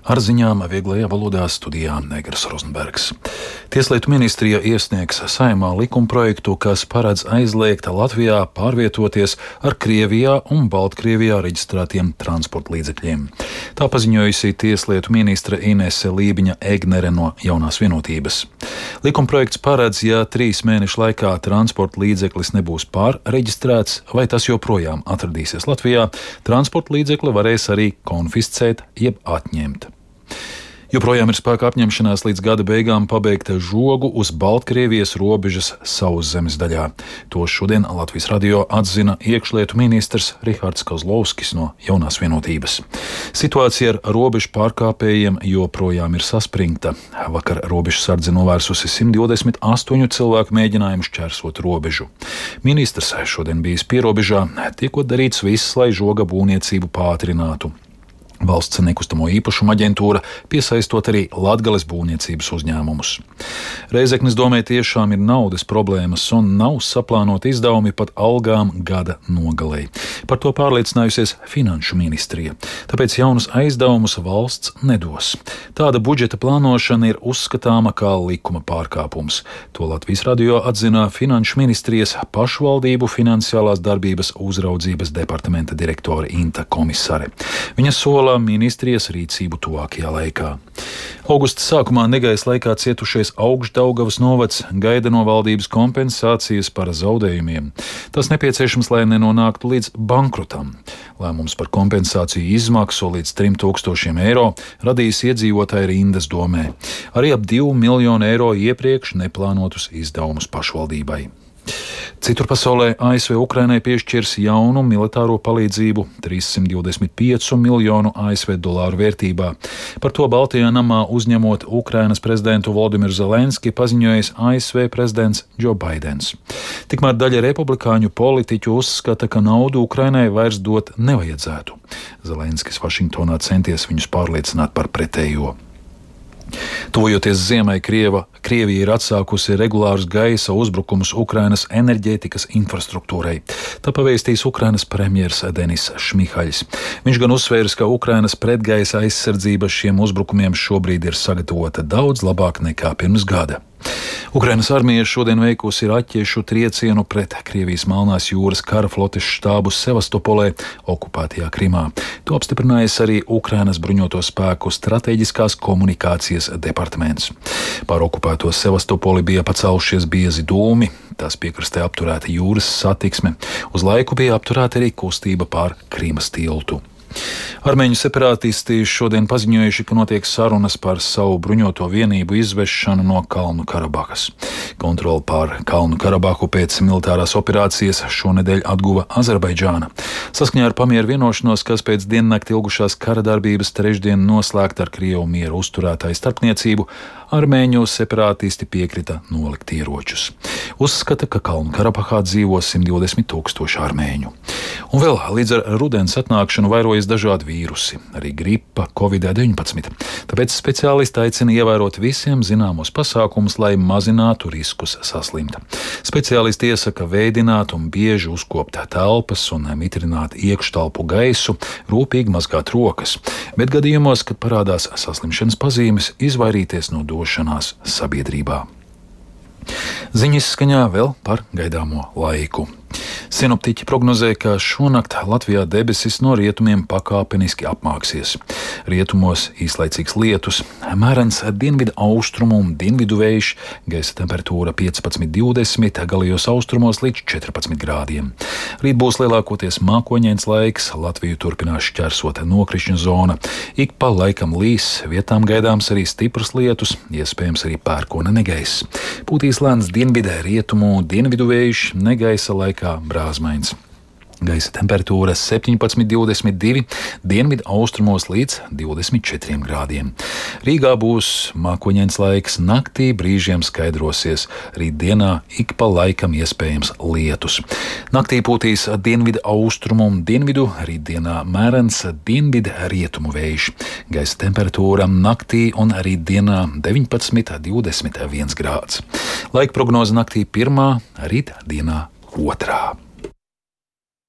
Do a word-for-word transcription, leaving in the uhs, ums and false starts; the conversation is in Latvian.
Ar ziņām vieglajā valodā studijā Negras Rozenbergs. Tieslietu ministrija iesniegs Saeimā likumprojektu, kas paredz aizliegt Latvijā pārvietoties ar Krievijā un Baltkrievijā reģistrētiem transporta līdzekļiem. Tā paziņojusi tieslietu ministre Inese Lībiņa-Egnere no Jaunās vienotības. Likumprojekts paredz, ja trīs mēnešu laikā transporta līdzeklis nebūs pārreģistrēts vai tas joprojām atradīsies Latvijā, transporta līdzekli varēs arī konfiscēt jeb atņemt. Joprojām ir spēkā apņemšanās līdz gada beigām pabeigt žogu uz Baltkrievijas robežas sauszemes daļā. To šodien Latvijas radio atzina iekšlietu ministrs Rihards Kozlovskis no Jaunās vienotības. Situācija ar robežu pārkāpējiem joprojām ir saspringta. Vakar robežsardze novērsusi simt divdesmit astoņu cilvēku mēģinājumu šķērsot robežu. Ministrs šodien bijis pierobežā, tiekot darīts viss, lai žoga būvniecību pātrinātu. Valsts nekustamo īpašumu aģentūra piesaistot arī Latgales būvniecības uzņēmumus. Reizeknes domē tiešām ir naudas problēmas un nav saplānoti izdevumi pat algām gada nogalei. Par to pārliecinājusies Finanšu ministrija. Tāpēc jaunus aizdevumus valsts nedos. Tāda budžeta plānošana ir uzskatāma kā likuma pārkāpums. To Latvijas radio atzina Finanšu ministrijas pašvaldību finansiālās darbības uzraudzības departamenta direktore Inta Komisare. Viņa sola ministrijas rīcību tuvākajā laikā. Augusta sākumā negaisa laikā cietušais Augšdaugavas novads gaida no valdības kompensācijas par zaudējumiem. Tas nepieciešams, lai nenonāktu līdz bankrotam. Lēmums par kompensāciju izmaksu līdz trim tūkstošiem eiro radīs iedzīvotāju rindas domē. Arī ap divu miljonu eiro iepriekš neplānotus izdevumus pašvaldībai. Citur pasaulē A S V Ukrainai piešķirs jaunu militāro palīdzību trīssimt divdesmit piecu miljonu A S V dolāru vērtībā. Par to Baltijā namā uzņemot Ukrainas prezidentu Volodimiru Zelenski paziņojis A S V prezidents Džo Baidens. Tikmēr daļa republikāņu politiķu uzskata, ka naudu Ukrainai vairs dot nevajadzētu. Zelenskis Vašingtonā centies viņus pārliecināt par pretējo. Tuvojoties ziemai, Krieva, Krievija ir atsākusi regulārus gaisa uzbrukumus Ukrainas enerģētikas infrastruktūrai. Tā pavēstīs Ukrainas premjers Denis Šmihaļs. Viņš gan uzsvērs, ka Ukrainas pretgaisa aizsardzība šiem uzbrukumiem šobrīd ir sagatavota daudz labāk nekā pirms gada. Ukrainas armija šodien veikusi raķešu triecienu pret Krievijas Melnās jūras kara flotes štābu Sevastopolē, okupētajā Krimā. To apstiprinājis arī Ukrainas bruņoto spēku strateģiskās komunikācijas departaments. Pār okupēto Sevastopoli bija pacēlušies biezi dūmi, tās piekrastē apturēta jūras satiksme, uz laiku bija apturēta arī kustība pār Krimas tiltu. Armēņu separātisti šodien paziņojuši, ka notiek sarunas par savu bruņoto vienību izvešanu no Kalnu Karabahas. Kontroli pār Kalnu Karabahu pēc militārās operācijas šonedēļ atguva Azerbaidžāna. Saskaņā ar pamieru vienošanos, kas pēc diennakti ilgušās kara darbības trešdien noslēgta ar Krievu mieru uzturētāju starpniecību, armēņu separātisti piekrita nolikt ieročus. Uzskata, ka Kalnu Karabahā dzīvo simt divdesmit tūkstoši armēņu. Un vēl līdz ar rudens atnākšanu vairojas dažādi vīrusi, arī gripa, covid deviņpadsmit. Tāpēc speciālisti aicina ievērot visiem zināmos pasākumus, lai mazinātu riskus saslimt. Speciālisti iesaka veidināt un bieži uzkopt telpas un mitrināt iekštelpu gaisu, rūpīgi mazgāt rokas, bet gadījumos, kad parādās saslimšanas pazīmes, izvairīties no došanās sabiedrībā. Ziņas skaņā vēl par gaidāmo laiku. Sinoptiķi prognozē, ka šonakt Latvijā debesis no rietumiem pakāpeniski apmāksies. Rietumos īslaicīgs lietus, mērens dienvidu austrumu un dienvidu vējš, gaisa temperatūra piecpadsmit divdesmit, galējos austrumos līdz četrpadsmit grādiem. Rīt būs lielākoties mākoņains laiks, Latviju turpinās šķērsot nokrišņu zona. Ik pa laikam līs, vietām gaidāms arī stiprs lietus, iespējams arī pērkona negaiss. Pūtīs lēns dienvidē rietumu dienvidu vējš, negaisa laikā brāzmains. Gaisa temperatūra septiņpadsmit divdesmit divi, dienvidu austrumos līdz divdesmit četriem grādiem. Rīgā būs mākoņains laiks, naktī brīžiem skaidrosies, rītdienā ik pa laikam iespējams lietus. Naktī pūtīs dienvidu austrumu un dienvidu, rītdienā mērens dienvidu rietumu vējš. Gaisa temperatūra naktī un rītdienā deviņpadsmit divdesmit viens grāds. Laika prognoze naktī pirmā, rītdienā otrā.